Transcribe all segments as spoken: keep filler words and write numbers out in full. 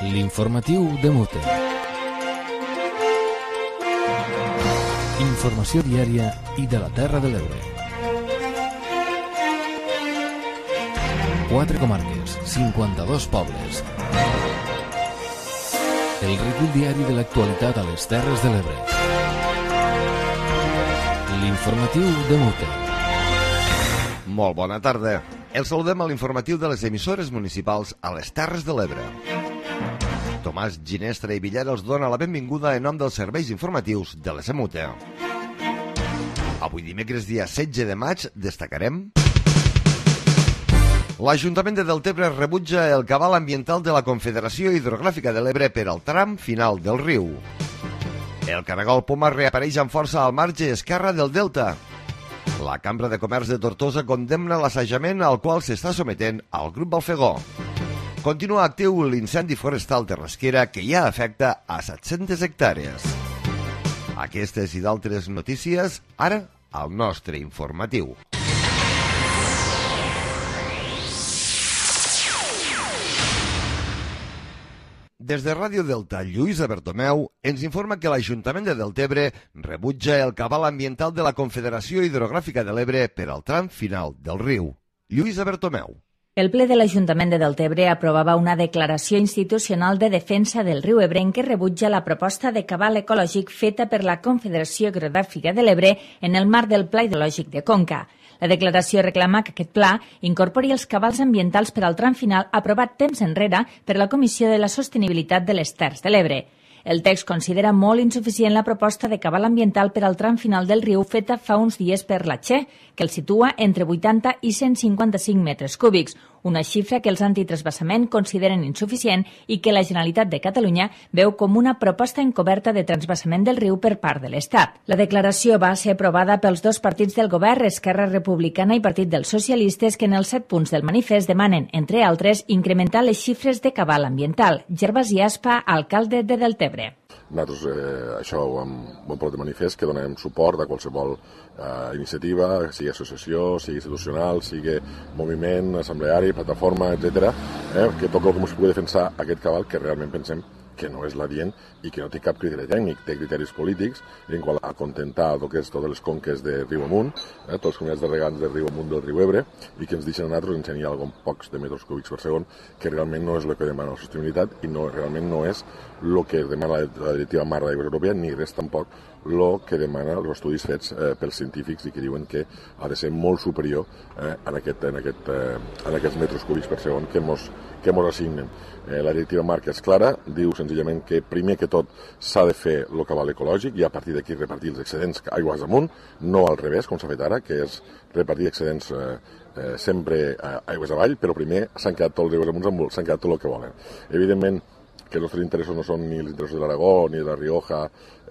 L'informatiu de Mute. Informació diària i de la Terra de l'Ebre. Quatre comarques, cinquanta-dos pobles. El recull diari de l'actualitat a les Terres de l'Ebre. L'informatiu de Mute. Molt bona tarda. El saludem a l'informatiu de les emissores municipals a les Terres de l'Ebre. Tomàs Ginestra i Villar els dona la benvinguda en nom dels serveis informatius de l'S M U T E. Avui dimecres, dia setze de maig, destacarem: l'Ajuntament de Deltebre rebutja el cabal ambiental de la Confederació Hidrogràfica de l'Ebre per al tram final del riu. El caragol poma reapareix amb força al marge esquerre del Delta. La Cambra de Comerç de Tortosa condemna l'assajament al qual s'està sometent al grup Balfegó. Continua actiu l'incendi forestal de Rasquera que ja afecta a set-centes hectàrees. Aquestes i d'altres notícies, ara, al nostre informatiu. Des de Ràdio Delta, Lluïsa Bertomeu ens informa que l'Ajuntament de Deltebre rebutja el cabal ambiental de la Confederació Hidrogràfica de l'Ebre per al tram final del riu. Lluïsa Bertomeu. El ple de l'Ajuntament de Deltebre aprovava una declaració institucional de defensa del riu Ebre en què rebutja la proposta de cabal ecològic feta per la Confederació Hidrogràfica de l'Ebre en el marc del Pla Hidrològic de Conca. La declaració reclama que aquest pla incorpori els cabals ambientals per al tram final aprovat temps enrere per la Comissió de la Sostenibilitat de les Terres de l'Ebre. El text considera molt insuficient la proposta de cabal ambiental per al tram final del riu feta fa uns dies per la Che, que el situa entre vuitanta i cent cinquanta-cinc metres cúbics, una xifra que els antitransvasament consideren insuficient i que la Generalitat de Catalunya veu com una proposta encoberta de transvasament del riu per part de l'Estat. La declaració va ser aprovada pels dos partits del govern, Esquerra Republicana i Partit dels Socialistes, que en els set punts del manifest demanen, entre altres, incrementar les xifres de cabal ambiental. Gervasi Aspa, alcalde de Deltebre. Nosaltres eh, això ho hem, ho hem posat de manifest, que donem suport a qualsevol eh, iniciativa, sigui associació, sigui institucional, sigui moviment, assembleari, plataforma, etcètera, eh, que tot el que ens pugui defensar aquest cabal, que realment pensem que no és l'adient i que no té cap criteri tècnic, té criteris polítics en qual a contentar el que és totes les conques de riu amunt, eh, tots els comunitats de regants de riu amunt del riu Ebre, i que ens deixen a nosaltres ensenyar alguns pocs de metres cúbics per segon, que realment no és el que demana la sostenibilitat i no, realment no és el que demana la, la directiva marc d'aigües europea, ni res tampoc el que demana els estudis fets eh, pels científics i que diuen que ha de ser molt superior eh, en, aquest, en, aquest, eh, en aquests metres cúbics per segon que mos, que mos assignen. Eh, la directiva marc és clara, diu senzillament que primer que tot s'ha de fer el cabal ecològic i a partir d'aquí repartir els excedents aigües amunt, no al revés, com s'ha fet ara, que és repartir excedents eh, eh, sempre eh, aigües avall, però primer s'han quedat tots els aigües amunt, s'han quedat tot el que volen. Evidentment, que els nostres interessos no són ni els interessos de l'Aragó, ni de la Rioja,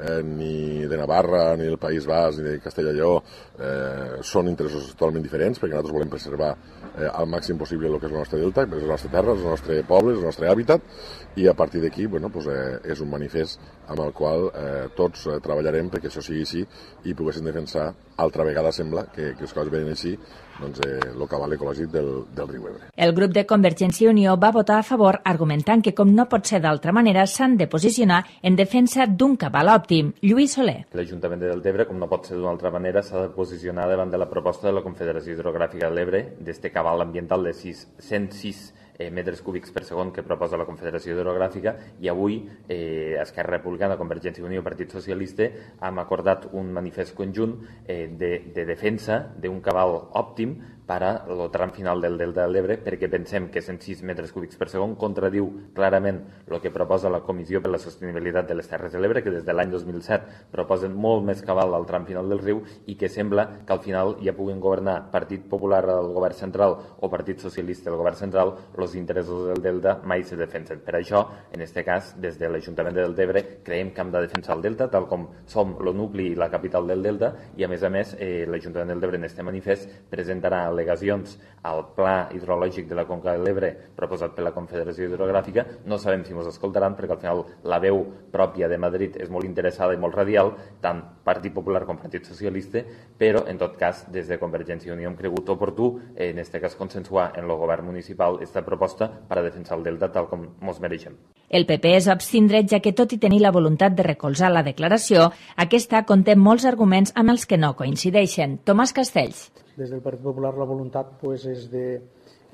eh, ni de Navarra, ni del País Basc, ni de Castella i Lleó, eh, són interessos totalment diferents, perquè nosaltres volem preservar eh, al màxim possible el que és la nostra delta, és la nostra terra, és el nostre poble, és el nostre hàbitat, i a partir d'aquí, bueno, pues, eh, és un manifest amb el qual eh, tots eh, treballarem perquè això sigui així i poguéssim defensar, altra vegada sembla que, que les coses venen així, doncs, eh, el cabal ecològic del, del riu Ebre. El grup de Convergència i Unió va votar a favor, argumentant que, com no pot ser d'altra manera, s'han de posicionar en defensa d'un cabal òptim. Lluís Soler. L'Ajuntament de Deltebre, com no pot ser d'una altra manera, s'ha de posicionar davant de la proposta de la Confederació Hidrogràfica de l'Ebre d'este cabal ambiental de cent sis eh, metres cúbics per segon que proposa la Confederació Hidrogràfica, i avui eh, Esquerra Republicana, Convergència i Unió i Partit Socialista hem acordat un manifest conjunt eh, de, de defensa d'un cabal òptim per al tram final del Delta de l'Ebre, perquè pensem que cent sis metres cúbics per segon contradiu clarament el que proposa la Comissió per la Sostenibilitat de les Terres de l'Ebre, que des de l'any dos mil set proposen molt més cabal al tram final del riu i que sembla que al final ja puguin governar Partit Popular al govern central o Partit Socialista al govern central, els interessos del Delta mai se defensen. Per això, en aquest cas, des de l'Ajuntament de Deltebre, creiem que hem de defensar el Delta, tal com som el nucli i la capital del Delta, i a més a més, eh, l'Ajuntament del Deltebre en aquest manifest presentarà al·legacions al Pla Hidrològic de la Conca de l'Ebre proposat per la Confederació Hidrogràfica. No sabem si ens escoltaran perquè al final la veu pròpia de Madrid és molt interessada i molt radial, tant Partit Popular com Partit Socialista, però en tot cas des de Convergència i Unió hem cregut oportú en aquest cas consensuar en el govern municipal aquesta proposta per a defensar el Delta tal com ens mereixem. El P P es va abstindre, ja que tot i tenir la voluntat de recolzar la declaració, aquesta conté molts arguments amb els que no coincideixen. Tomàs Castells. Des del Partit Popular la voluntat pues, és de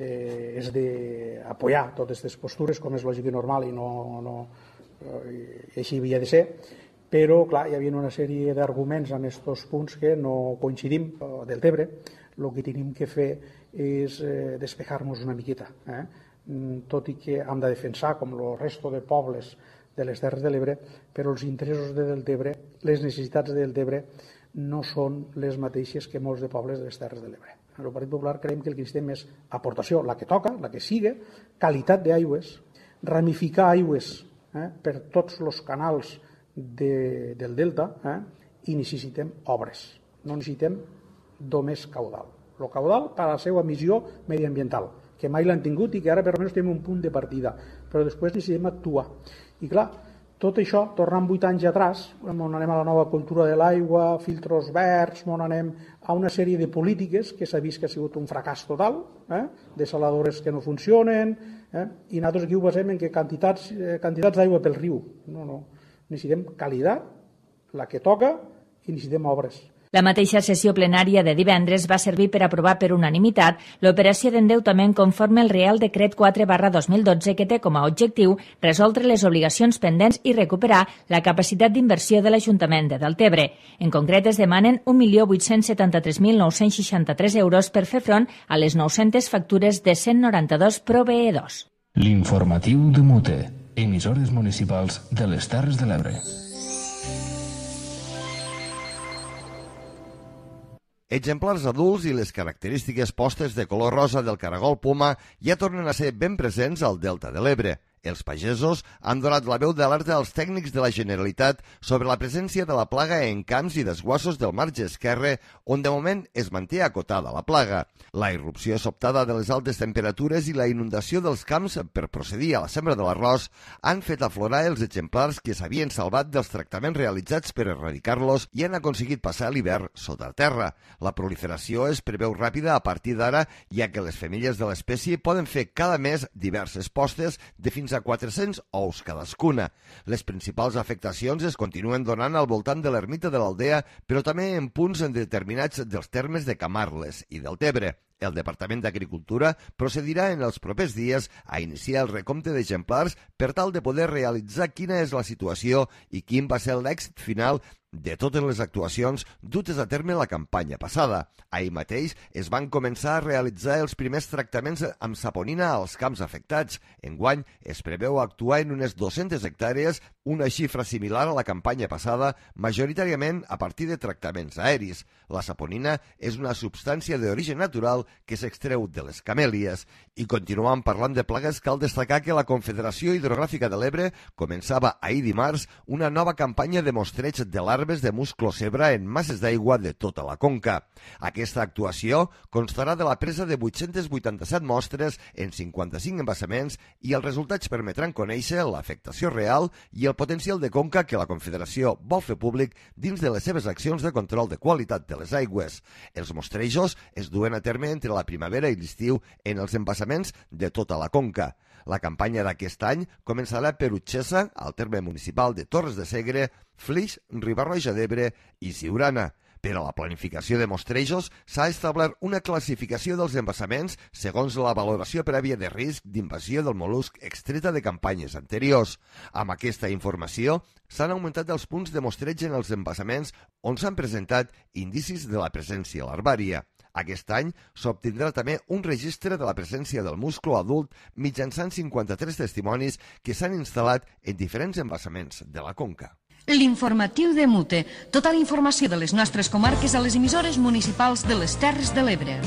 eh, és d'apoyar totes aquestes postures, com és lògic i normal, i no, no i així havia de ser, però clar, hi havia una sèrie d'arguments en aquests punts que no coincidim del Tebre. El que tenim que fer és eh, despejar-nos una miqueta, eh? Tot i que hem de defensar, com el resto de pobles de les Terres de l'Ebre, però els interessos de Deltebre, les necessitats de Deltebre, no són les mateixes que molts de pobles de les Terres de l'Ebre. El Partit Popular creiem que el que necessitem és aportació, la que toca, la que siga, qualitat d'aigües, ramificar aigües eh, per tots els canals de, del delta eh, i necessitem obres, no necessitem només caudal. El caudal per a la seva missió mediambiental, que mai l'han tingut i que ara per almenys tenim un punt de partida, però després necessitem actuar. I clar, tot això, tornant vuit anys atrás, on anem a la nova cultura de l'aigua, filtros verds, on anem a una sèrie de polítiques que s'ha vist que ha sigut un fracàs total, eh? Desaladores que no funcionen, eh? I nosaltres aquí ho basem en que quantitats, eh, quantitats d'aigua pel riu. No, no. Necessitem qualitat, la que toca, i necessitem obres. La mateixa sessió plenària de divendres va servir per aprovar per unanimitat l'operació d'endeutament conforme al Real Decret quatre barra dos mil dotze, que té com a objectiu resoldre les obligacions pendents i recuperar la capacitat d'inversió de l'Ajuntament de Deltebre. En concret, es demanen un milió vuit-cents setanta-tres mil nou-cents seixanta-tres euros per fer front a les nou-centes factures de cent noranta-dos proveïdors. L'informatiu de Mute, emissores municipals de les Terres de l'Ebre. Exemplars adults i les característiques postes de color rosa del caragol poma ja tornen a ser ben presents al Delta de l'Ebre. Els pagesos han donat la veu d'alerta als tècnics de la Generalitat sobre la presència de la plaga en camps i desguassos del marge esquerre, on de moment es manté acotada la plaga. La irrupció sobtada de les altes temperatures i la inundació dels camps per procedir a la sembra de l'arròs han fet aflorar els exemplars que s'havien salvat dels tractaments realitzats per erradicar-los i han aconseguit passar l'hivern sota terra. La proliferació es preveu ràpida a partir d'ara, ja que les femelles de l'espècie poden fer cada mes diverses postes de fins a quatre-cents ous cadascuna. Les principals afectacions es continuen donant al voltant de l'ermita de l'Aldea, però també en punts determinats dels termes de Camarles i del Tebre. El Departament d'Agricultura procedirà en els propers dies a iniciar el recompte d'exemplars per tal de poder realitzar quina és la situació i quin va ser l'èxit final de totes les actuacions dutes a terme la campanya passada. Ahir mateix es van començar a realitzar els primers tractaments amb saponina als camps afectats. Enguany es preveu actuar en unes dues-centes hectàrees, una xifra similar a la campanya passada, majoritàriament a partir de tractaments aeris. La saponina és una substància d'origen natural que s'extreu de les camèlies. I continuant parlant de plagues, cal destacar que la Confederació Hidrogràfica de l'Ebre començava ahir dimarts una nova campanya de mostreig de larves de musclo zebra en masses d'aigua de tota la conca. Aquesta actuació constarà de la presa de vuit-cents vuitanta-set mostres en cinquanta-cinc embassaments i els resultats permetran conèixer l'afectació real i el potencial de conca que la Confederació vol fer públic dins de les seves accions de control de qualitat de les aigües. Els mostrejos es duen a terme entre la primavera i l'estiu en els embassaments de tota la conca. La campanya d'aquest any començarà per Utxessa, al terme municipal de Torres de Segre, Flix, Riba-roja d'Ebre i Siurana. Per a la planificació de mostrejos s'ha establert una classificació dels embassaments segons la valoració prèvia de risc d'invasió del mol·lusc extreta de campanyes anteriors. Amb aquesta informació s'han augmentat els punts de mostreig en els embassaments on s'han presentat indicis de la presència larvària. Aquest any s'obtindrà també un registre de la presència del musclo adult mitjançant cinquanta-tres testimonis que s'han instal·lat en diferents embassaments de la conca. L'informatiu de Mute. Tota la informació de les nostres comarques a les emissores municipals de les Terres de l'Ebre.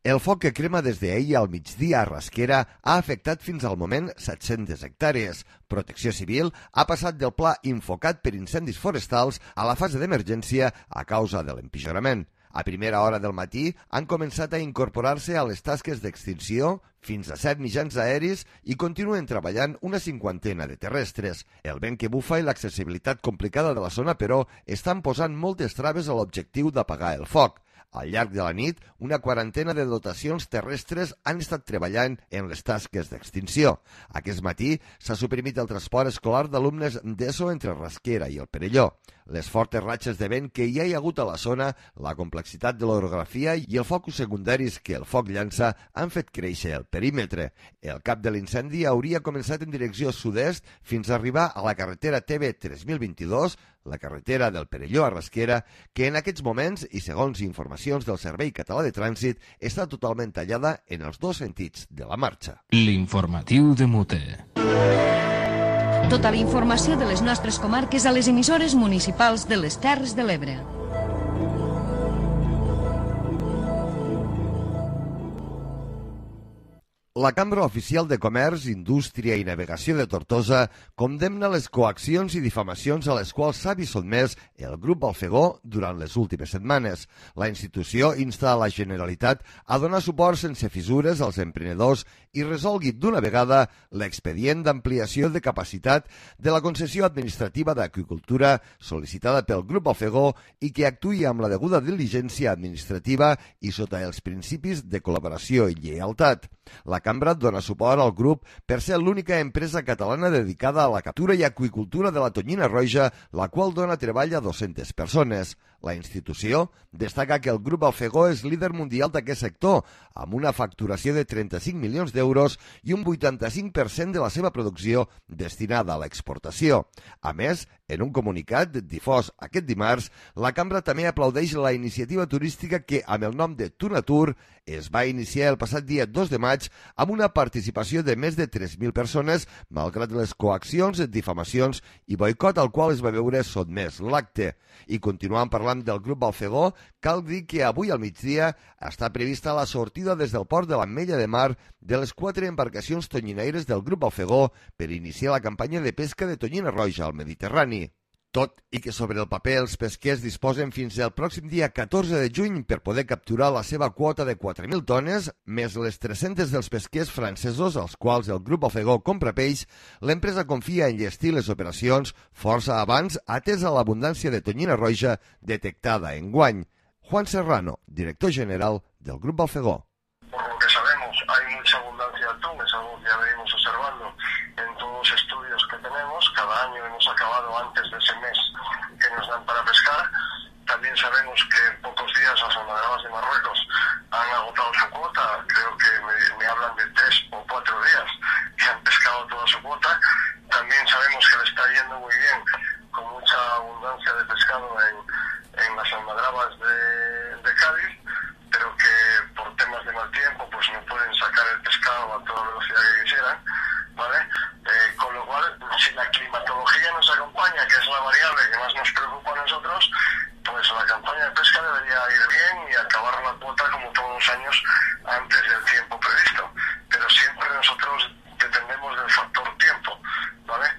El foc que crema des d'ahir al migdia a Rasquera ha afectat fins al moment set-centes hectàrees. Protecció Civil ha passat del pla infocat per incendis forestals a la fase d'emergència a causa de l'empitjorament. A primera hora del matí han començat a incorporar-se a les tasques d'extinció fins a set mitjans aeris i continuen treballant una cinquantena de terrestres. El vent que bufa i l'accessibilitat complicada de la zona, però, estan posant moltes traves a l'objectiu d'apagar el foc. Al llarg de la nit, una quarantena de dotacions terrestres han estat treballant en les tasques d'extinció. Aquest matí s'ha suprimit el transport escolar d'alumnes d'ESO entre Rasquera i el Perelló. Les fortes ratxes de vent que hi ha hagut a la zona, la complexitat de l'orografia i els focus secundaris que el foc llança han fet créixer el perímetre. El cap de l'incendi hauria començat en direcció sud-est fins a arribar a la carretera T B tres mil vint-i-dos, la carretera del Perelló a Rasquera, que en aquests moments, i segons informacions del Servei Català de Trànsit, està totalment tallada en els dos sentits de la marxa. L'informatiu de Mute. Tota la informació de les nostres comarques a les emissores municipals de les Terres de l'Ebre. La Cambra Oficial de Comerç, Indústria i Navegació de Tortosa condemna les coaccions i difamacions a les quals s'ha vist sotmès el grup Alfegó durant les últimes setmanes. La institució insta a la Generalitat a donar suport sense fissures als emprenedors i resolgui d'una vegada l'expedient d'ampliació de capacitat de la concessió administrativa d'aqüicultura sol·licitada pel grup Alfegó i que actuï amb la deguda diligència administrativa i sota els principis de col·laboració i lleialtat. La Cambra dona suport al grup per ser l'única empresa catalana dedicada a la captura i aqüicultura de la tonyina roja, la qual dona treball a dues-centes persones. La institució destaca que el grup Alfegó és líder mundial d'aquest sector, amb una facturació de trenta-cinc milions d'euros i un vuitanta-cinc per cent de la seva producció destinada a l'exportació. A més, en un comunicat difós aquest dimarts, la Cambra també aplaudeix la iniciativa turística que, amb el nom de Tunatur, es va iniciar el passat dia dos de maig amb una participació de més de tres mil persones, malgrat les coaccions, difamacions i boicot al qual es va veure sotmès l'acte. I continuant parlant del grup Alfegó, cal dir que avui al migdia està prevista la sortida des del port de l'Ametlla de Mar de les quatre embarcacions tonyinaires del grup Alfegó per iniciar la campanya de pesca de tonyina roja al Mediterrani. Tot i que sobre el paper els pesquers disposen fins al pròxim dia catorze de juny per poder capturar la seva quota de quatre mil tones, més les tres-centes dels pesquers francesos als quals el grup Alfegó compra peix, l'empresa confia en llestir les operacions força abans atesa l'abundància de tonyina roja detectada enguany. Juan Serrano, director general del grup Alfegó. Por lo que sabemos, hay mucha abundancia de atún, es algo que ya venimos observando en todos los estudios que tenemos. Cada año hemos acabado antes de ese mes que nos dan para pescar. También sabemos que en pocos días las almadrabas de Marruecos han agotado su cuota. Creo que me, me hablan de tres o cuatro días que han pescado toda su cuota. También sabemos que le está yendo muy bien, con mucha abundancia de pescado en, en las almadrabas de, de Cádiz, pero que por temas de mal tiempo pues no pueden sacar el pescado a toda velocidad que quisieran, ¿vale? Eh, con lo cual, si la climatología nos acompaña, que es la variable que más nos preocupa a nosotros, pues la campaña de pesca debería ir bien y acabar la cuota como todos los años antes del tiempo previsto. Pero siempre nosotros dependemos del factor tiempo, ¿vale?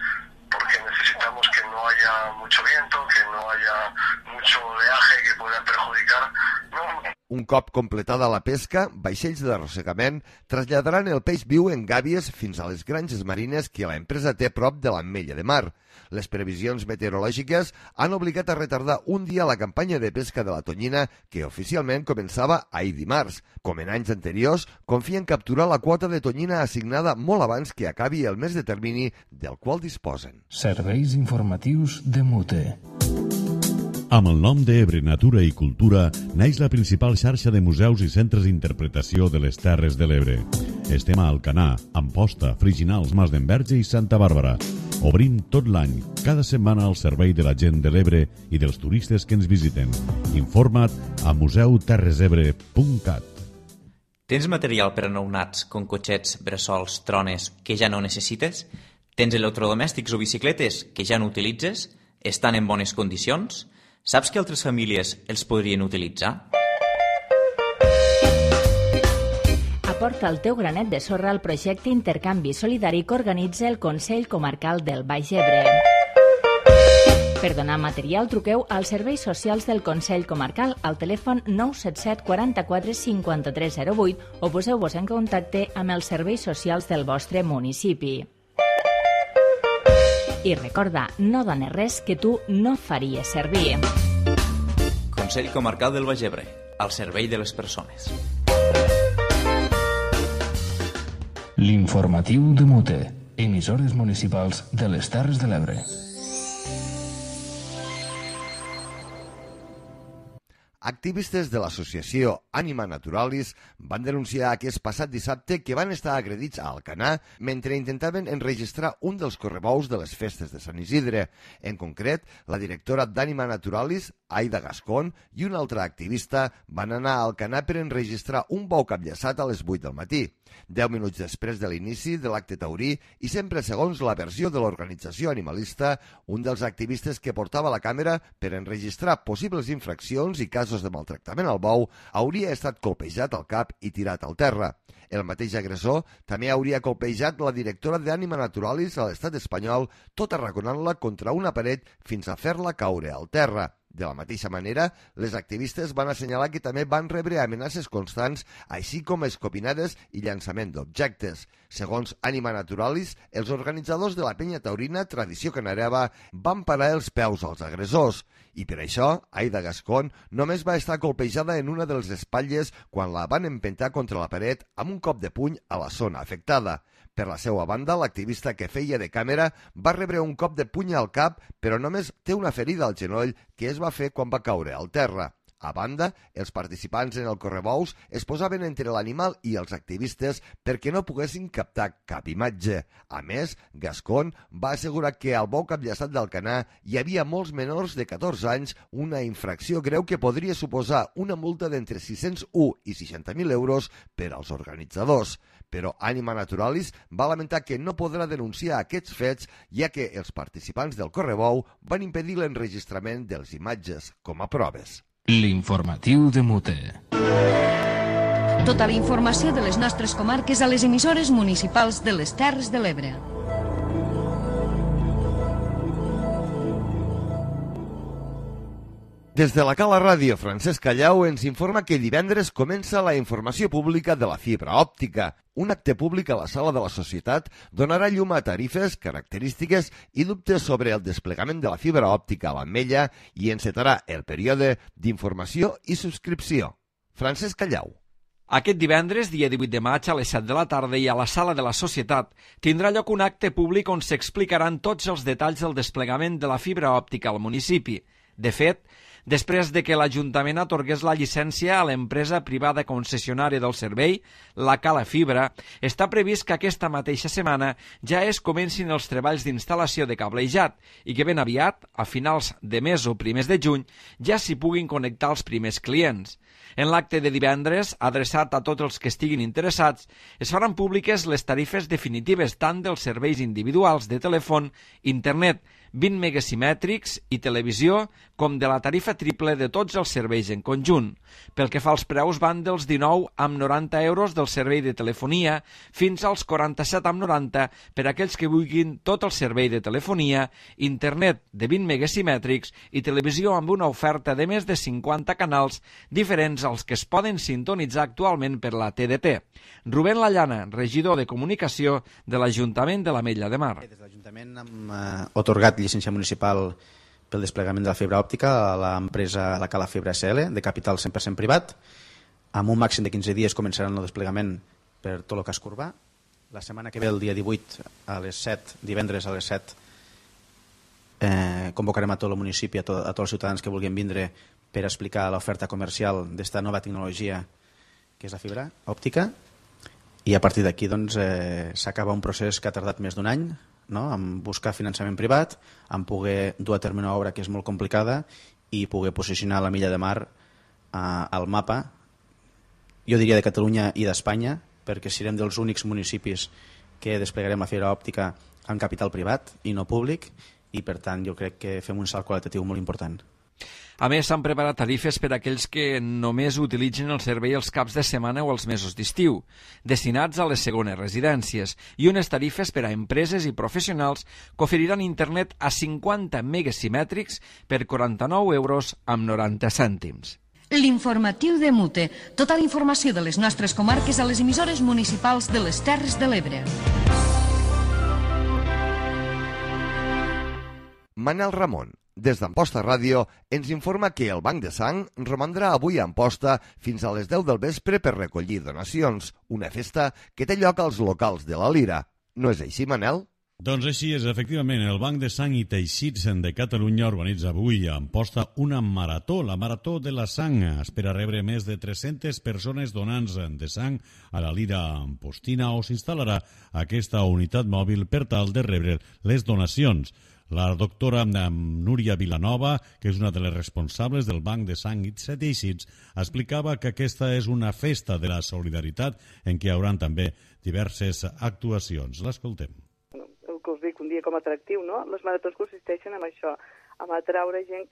Porque necesitamos que no haya mucho viento, que no haya mucho oleaje que pueda perjudicar. No. Un cop completada la pesca, vaixells d'arrossegament traslladaran el peix viu en gàbies fins a les granges marines que la empresa té prop de l'Ametlla de Mar. Les previsions meteorològiques han obligat a retardar un dia la campanya de pesca de la tonyina que oficialment començava ahir dimarts. Com en anys anteriors, confien capturar la quota de tonyina assignada molt abans que acabi el mes de termini del qual disposen. Serveis informatius de Mute. Amb el nom d'Ebre Natura i Cultura naix la principal xarxa de museus i centres d'interpretació de les Terres de l'Ebre. Estem a Alcanar, Amposta, Friginals, Mas d'Enverge i Santa Bàrbara. Obrim tot l'any, cada setmana al servei de la gent de l'Ebre i dels turistes que ens visiten. Informa't a museu terres ebre punt cat. Tens material per a nounats, com cotxets, bressols, trones, que ja no necessites? Tens electrodomèstics o bicicletes que ja no utilitzes? Estan en bones condicions? Saps que altres famílies els podrien utilitzar? Aporta el teu granet de sorra al projecte Intercanvi Solidari que organitza el Consell Comarcal del Baix Ebre. Per donar material, truqueu als serveis socials del Consell Comarcal al telèfon nou set set quaranta-quatre cinquanta-tres zero vuit o poseu-vos en contacte amb els serveis socials del vostre municipi. I recorda, no dones res que tu no faries servir. Consell Comarcal del Baix Ebre. al servei de les persones. L'informatiu de Mute, emissores municipals de les Terres de l'Ebre. Activistes de l'associació Anima Naturalis van denunciar aquest passat dissabte que van estar agredits a Alcanar mentre intentaven enregistrar un dels correbous de les festes de Sant Isidre. En concret, la directora d'Anima Naturalis, Aida Gascón, i una altra activista van anar a Alcanar per enregistrar un bou capllaçat a les vuit del matí. Deu minuts després de l'inici de l'acte taurí i sempre segons la versió de l'organització animalista, un dels activistes que portava la càmera per enregistrar possibles infraccions i casos de maltractament al bou hauria estat colpejat al cap i tirat al terra. El mateix agressor també hauria colpejat la directora d'Anima Naturalis a l'estat espanyol, tot arraconant-la contra una paret fins a fer-la caure al terra. De la mateixa manera, les activistes van assenyalar que també van rebre amenaces constants, així com escopinades i llançament d'objectes. Segons Anima Naturalis, els organitzadors de la penya taurina Tradició Canareva van parar els peus als agressors. I per això, Aida Gascón només va estar colpejada en una de les espatlles quan la van empentar contra la paret amb un cop de puny a la zona afectada. Per la seva banda, l'activista que feia de càmera va rebre un cop de puny al cap, però només té una ferida al genoll que es va fer quan va caure al terra. A banda, els participants en el correbous es posaven entre l'animal i els activistes perquè no poguessin captar cap imatge. A més, Gascón va assegurar que al bou capllaçat d'Alcanar hi havia molts menors de catorze anys, una infracció greu que podria suposar una multa d'entre sis-cents u i seixanta mil euros per als organitzadors. Però Anima Naturalis va lamentar que no podrà denunciar aquests fets, ja que els participants del correbou van impedir l'enregistrament de les imatges com a proves. L'informatiu de Mute. Tota la informació de les nostres comarques a les emissores municipals de les Terres de l'Ebre. Des de la Cala Ràdio, Francesc Callau ens informa que divendres comença la informació pública de la fibra òptica. Un acte públic a la sala de la Societat donarà llum a tarifes, característiques i dubtes sobre el desplegament de la fibra òptica a l'Ametlla i encetarà el període d'informació i subscripció. Francesc Callau. Aquest divendres, dia divuit de maig, a les set de la tarda i a la sala de la Societat, tindrà lloc un acte públic on s'explicaran tots els detalls del desplegament de la fibra òptica al municipi. De fet, després de que l'Ajuntament atorgués la llicència a l'empresa privada concessionària del servei, la Cala Fibra, està previst que aquesta mateixa setmana ja es comencin els treballs d'instal·lació de cablejat i que ben aviat, a finals de mes o primers de juny, ja s'hi puguin connectar els primers clients. En l'acte de divendres, adreçat a tots els que estiguin interessats, es faran públiques les tarifes definitives tant dels serveis individuals de telèfon, internet, vint megasimètrics i televisió, com de la tarifa triple de tots els serveis en conjunt. Pel que fa als preus, van dels dinou amb noranta euros del servei de telefonia fins als quaranta-set amb noranta per a aquells que vulguin tot el servei de telefonia, internet de vint megasimètrics i televisió amb una oferta de més de cinquanta canals diferents als que es poden sintonitzar actualment per la T D T. Rubén Lallana, regidor de Comunicació de l'Ajuntament de l'Ametlla de Mar. Des de l'Ajuntament hem eh, otorgat llicència municipal pel desplegament de la fibra òptica a l'empresa La Cala Fibra S L, de capital cent per cent privat. Amb un màxim de quinze dies començaran el desplegament per tot el casc urbà. La setmana que ve, el dia divuit, a les set, divendres a les set, eh, convocarem a tot el municipi, a, to, a tots els ciutadans que vulguin vindre per explicar l'oferta comercial d'esta nova tecnologia que és la fibra òptica. I a partir d'aquí doncs, eh, s'acaba un procés que ha tardat més d'un any, no? En buscar finançament privat, en poder dur a terme una obra que és molt complicada i poder posicionar la Milla de Mar eh, al mapa, jo diria de Catalunya i d'Espanya, perquè serem dels únics municipis que desplegarem la fibra òptica en capital privat i no públic, i per tant jo crec que fem un salt qualitatiu molt important. A més, s'han preparat tarifes per a aquells que només utilitzen el servei els caps de setmana o els mesos d'estiu, destinats a les segones residències, i unes tarifes per a empreses i professionals que oferiran internet a cinquanta megasimètrics per quaranta-nou euros amb noranta cèntims. L'informatiu de Mute. Tota la informació de les nostres comarques a les emissores municipals de les Terres de l'Ebre. Manel Ramon, Des d'Amposta Ràdio ens informa que el Banc de Sang romandrà avui a Amposta fins a les deu del vespre per recollir donacions, una festa que té lloc als locals de la Lira. No és així, Manel? Doncs així és, efectivament, el Banc de Sang i Teixits de Catalunya organitza avui a Amposta una marató, la Marató de la Sang. Espera rebre més de tres-centes persones donants de sang a la Lira Ampostina, on s'instal·larà aquesta unitat mòbil per tal de rebre les donacions. La doctora Núria Vilanova, que és una de les responsables del Banc de Sang i Teixits, explicava que aquesta és una festa de la solidaritat en què hi haurà també diverses actuacions. L'escoltem. El que us dic, un dia com a atractiu, no? Les maratons consisteixen en això, en atraure gent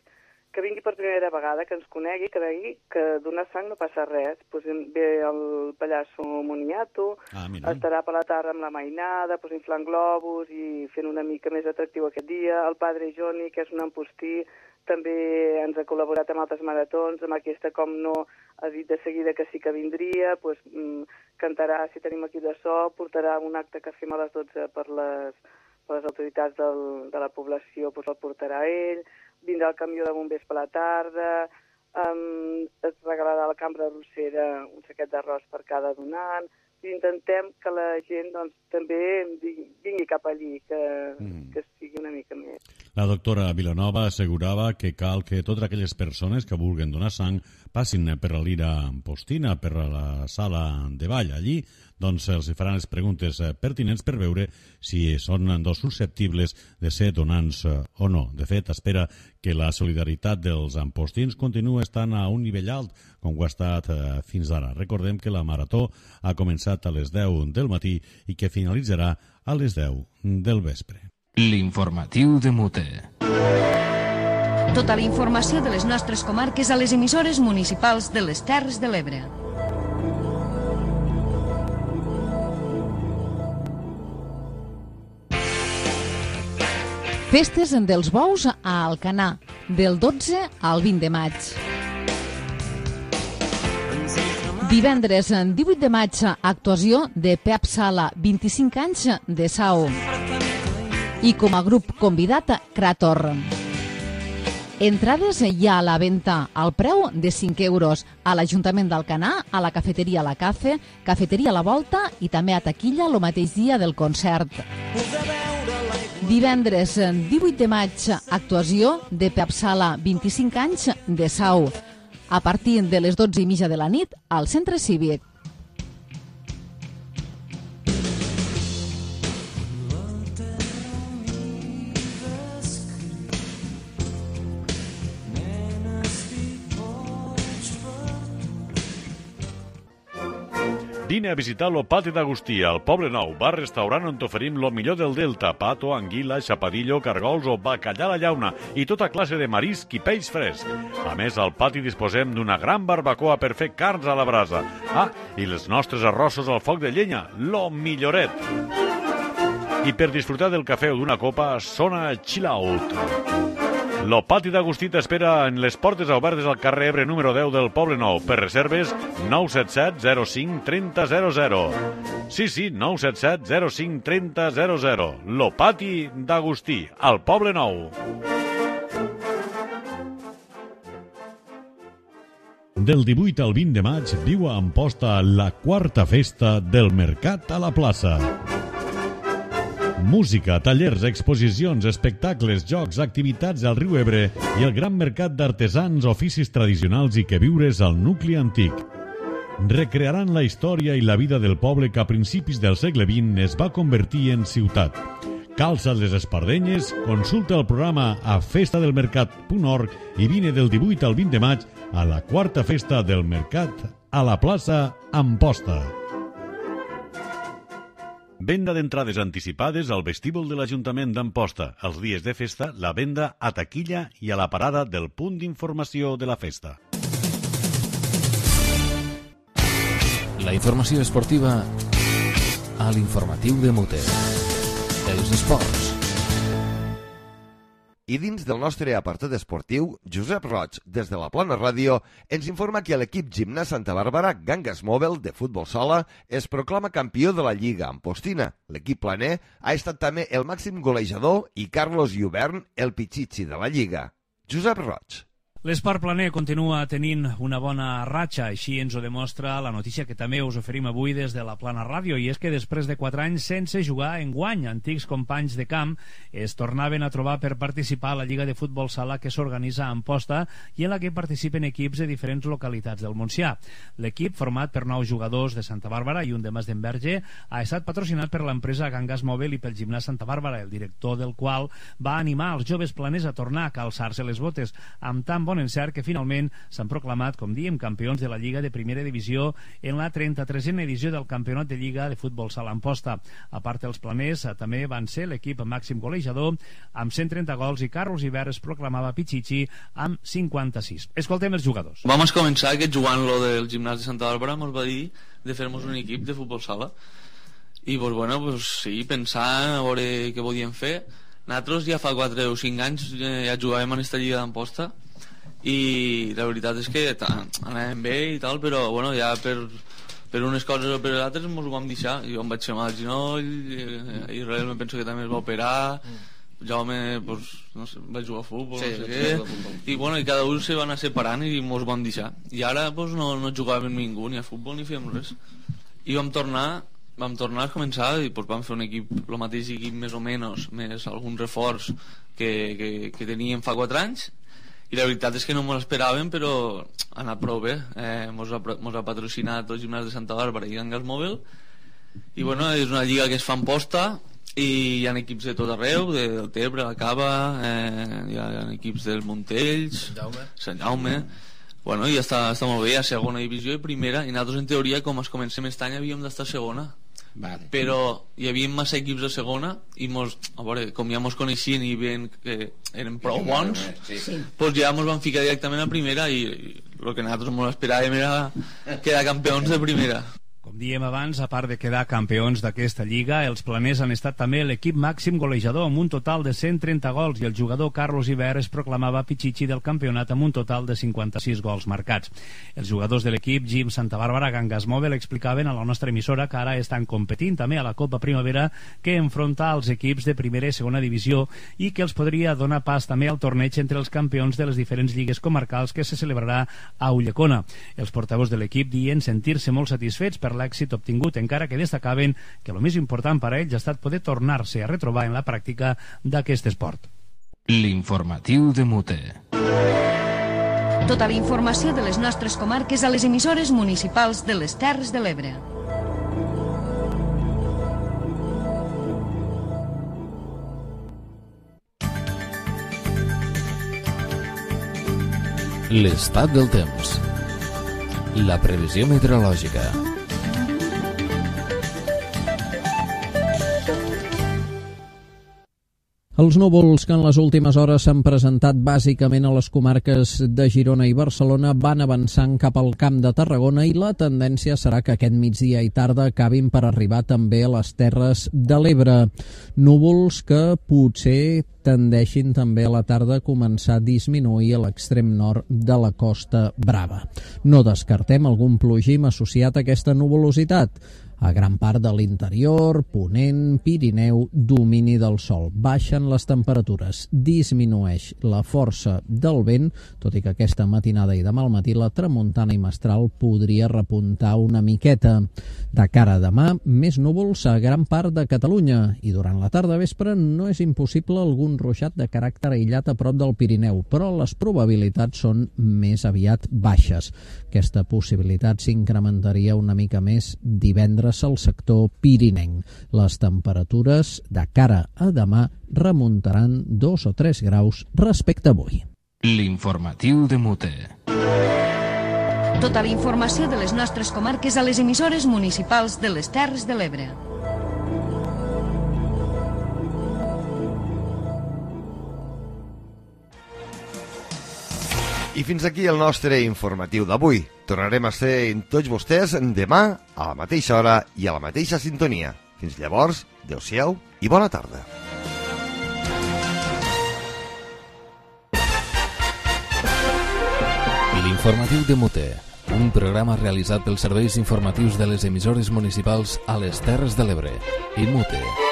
que vingui per primera vegada, que ens conegui, que vegi que donar sang no passa res. Pues ve el pallasso Moniato, ah, estarà per la tarda amb la mainada, pues inflant globus i fent una mica més atractiu aquest dia. El padre Joni, que és un empostí, també ens ha col·laborat amb altres maratons, amb aquesta com no ha dit de seguida que sí que vindria, pues, mm, cantarà, si tenim equip de so, portarà un acte que fem a les dotze per les, per les autoritats del, de la població, pues el portarà ell, vindrà el camió de bombers per la tarda, um, es regalarà a la cambra de Rossera un saquet d'arròs per cada donant, i intentem que la gent doncs, també vingui cap allí, que, mm. que sigui una mica més. La doctora Vilanova assegurava que cal que totes aquelles persones que vulguin donar sang passin per la Lira Ampostina, per la sala de ball. Allí doncs, els faran les preguntes pertinents per veure si són dos susceptibles de ser donants o no. De fet, espera que la solidaritat dels ampostins continua estant a un nivell alt, com ho ha estat fins ara. Recordem que la marató ha començat a les deu del matí i que finalitzarà a les deu del vespre. L'informatiu de Mute. Tota la informació de les nostres comarques a les emissores municipals de les Terres de l'Ebre. Festes dels bous a Alcanar, del dotze al vint de maig. Divendres, divuit de maig, actuació de Pep Sala, vint-i-cinc anys de Sau. I com a grup convidat, Krator. Entrades hi ha a la venda al preu de cinc euros a l'Ajuntament d'Alcanar, a la cafeteria La Cafe, cafeteria La Volta i també a taquilla el mateix dia del concert. Divendres, divuit de maig, actuació de Pep Sala, vint-i-cinc anys de Sau, a partir de les dotze i mitja de la nit al Centre Cívic. Vine a visitar lo Pati d'Agustí, al Poble Nou, bar-restaurant on t'oferim lo millor del Delta, pato, anguila, xapadillo, cargols o bacallà a la llauna i tota classe de marisc i peix fresc. A més, al pati disposem d'una gran barbacoa per fer carns a la brasa. Ah, i els nostres arrossos al foc de llenya, lo milloret. I per disfrutar del cafè o d'una copa, sona Chill Out. Lo Pati d'Agustí t'espera en les portes obertes al carrer Ebre número deu del Poble Nou. Per reserves, nou set set zero cinc trenta zero zero. Sí, sí, nou set set zero cinc trenta zero zero. Lo Pati d'Agustí, al Poble Nou. Del divuit al vint de maig viu a Amposta la quarta festa del Mercat a la plaça. Música, tallers, exposicions, espectacles, jocs, activitats al riu Ebre i el gran mercat d'artesans, oficis tradicionals i queviures al nucli antic. Recrearan la història i la vida del poble que a principis del segle vint es va convertir en ciutat. Calça't les espardenyes, consulta el programa a festa del mercat punt org i vine del divuit al vint de maig a la quarta festa del Mercat a la plaça Amposta. Venda d'entrades anticipades al vestíbul de l'Ajuntament d'Amposta. Els dies de festa, la venda a taquilla i a la parada del punt d'informació de la festa. La informació esportiva a l'informatiu de Mute. Els esports. I dins del nostre apartat esportiu, Josep Roig, des de la Plana Ràdio, ens informa que l'equip Gimnàs Santa Bàrbara Gangas Mòbil de futbol sala es proclama campió de la Lliga Ampostina. L'equip planer ha estat també el màxim golejador i Carlos Lluvern el pitxitxi de la Lliga. Josep Roig. L'esport planer continua tenint una bona ratxa, així ens ho demostra la notícia que també us oferim avui des de la Plana Ràdio, i és que després de quatre anys sense jugar enguany, antics companys de camp es tornaven a trobar per participar a la Lliga de Futbol Sala que s'organitza a Amposta i en la que participen equips de diferents localitats del Montsià. L'equip, format per nou jugadors de Santa Bàrbara i un de Mas d'Enverge, ha estat patrocinat per l'empresa Gangas Mòbil i pel Gimnàs Santa Bàrbara, el director del qual va animar els joves planers a tornar a calçar-se les botes, amb tan bon encert que finalment s'han proclamat, com diem, campions de la Lliga de Primera Divisió en la trenta-tresena edició del Campionat de Lliga de Futbol Sala Amposta. A part dels planers, també van ser l'equip màxim golejador amb cent trenta gols i Carlos Lluvern es proclamava pitxitxi amb cinquanta-sis. Escoltem els jugadors. Vam començar que jugant lo del gimnàs de Santa Bàrbara ens va dir de fer-nos un equip de futbol sala i pues, bueno, pues, sí, pensar a veure què podíem fer. Nosaltres ja fa quatre o cinc anys ja jugàvem en aquesta Lliga d'Amposta i la veritat és que anàvem bé i tal, però bueno, ja per, per unes coses o per altres ens ho vam deixar. Jo em vaig fer mal al genoll, Israel me penso que també es va operar, Jaume pues, no sé, va jugar a futbol, sí, no sé què, i bueno, i cada un se va anar separant i ens vam deixar, i ara pues, no, no jugàvem ningú ni a futbol ni fèiem res, i vam tornar vam tornar a començar i pues, vam fer un equip, el mateix equip més o menys, més algun reforç que, que, que teníem fa quatre anys, i la veritat és que no m'ho esperàvem, però ha anat prou bé. Eh, mos, ha, mos ha patrocinat el Gimnàs de Santa Bàrbara i Gangas Mòbil, i bueno, és una lliga que es fa en posta i hi ha equips de tot arreu, de, del Tebre, la Cava, eh, hi ha equips del Montells, Sant Jaume, bueno, i està, està molt bé, hi ha segona divisió i primera, i nosaltres en teoria, com es comencem aquest any, havíem d'estar segona. Vale. Però hi havia massa equips de segona i mos, a veure, com ja mos coneixien i veien que eren prou bons, sí, sí. Pues ja mos van ficar directament a primera i el que nosaltres mos esperàvem era quedar campions de primera. Com diem abans, a part de quedar campions d'aquesta lliga, els planers han estat també l'equip màxim golejador amb un total de cent trenta gols i el jugador Carlos Lluvern es proclamava pitxitxi del campionat amb un total de cinquanta-sis gols marcats. Els jugadors de l'equip Gim Santa Bàrbara Gangas Mòbil explicaven a la nostra emissora que ara estan competint també a la Copa Primavera que enfronta als equips de primera i segona divisió i que els podria donar pas també al torneig entre els campions de les diferents lligues comarcals que se celebrarà a Ulldecona. Els portaveus de l'equip diuen sentir-se molt satisfets per l'èxit obtingut, encara que destacaven que el més important per a ells ha estat poder tornar-se a retrobar en la pràctica d'aquest esport. L'informatiu de Mute. Tota la informació de les nostres comarques a les emissores municipals de les Terres de l'Ebre. L'estat del temps. La previsió meteorològica. Els núvols que en les últimes hores s'han presentat bàsicament a les comarques de Girona i Barcelona van avançant cap al Camp de Tarragona i la tendència serà que aquest migdia i tarda acabin per arribar també a les Terres de l'Ebre. Núvols que potser tendeixin també a la tarda a començar a disminuir a l'extrem nord de la Costa Brava. No descartem algun plogim associat a aquesta nuvolositat. A gran part de l'interior, Ponent, Pirineu, domini del sol. Baixen les temperatures, disminueix la força del vent, tot i que aquesta matinada i demà al matí la tramuntana i mestral podria repuntar una miqueta. De cara a demà, més núvols a gran part de Catalunya i durant la tarda vespre no és impossible algun ruixat de caràcter aïllat a prop del Pirineu, però les probabilitats són més aviat baixes. Aquesta possibilitat s'incrementaria una mica més divendres al sector pirinenc. Les temperatures de cara a demà remuntaran dos o tres graus respecte a avui. L'informatiu de Mute. Tota la informació de les nostres comarques a les emissores municipals de les Terres de l'Ebre. I fins aquí el nostre informatiu d'avui. Tornarem a ser amb tots vostès demà a la mateixa hora i a la mateixa sintonia. Fins llavors, adeu-siau i bona tarda. L'informatiu de Mute, un programa realitzat pels serveis informatius de les emissores municipals a les Terres de l'Ebre i Mute.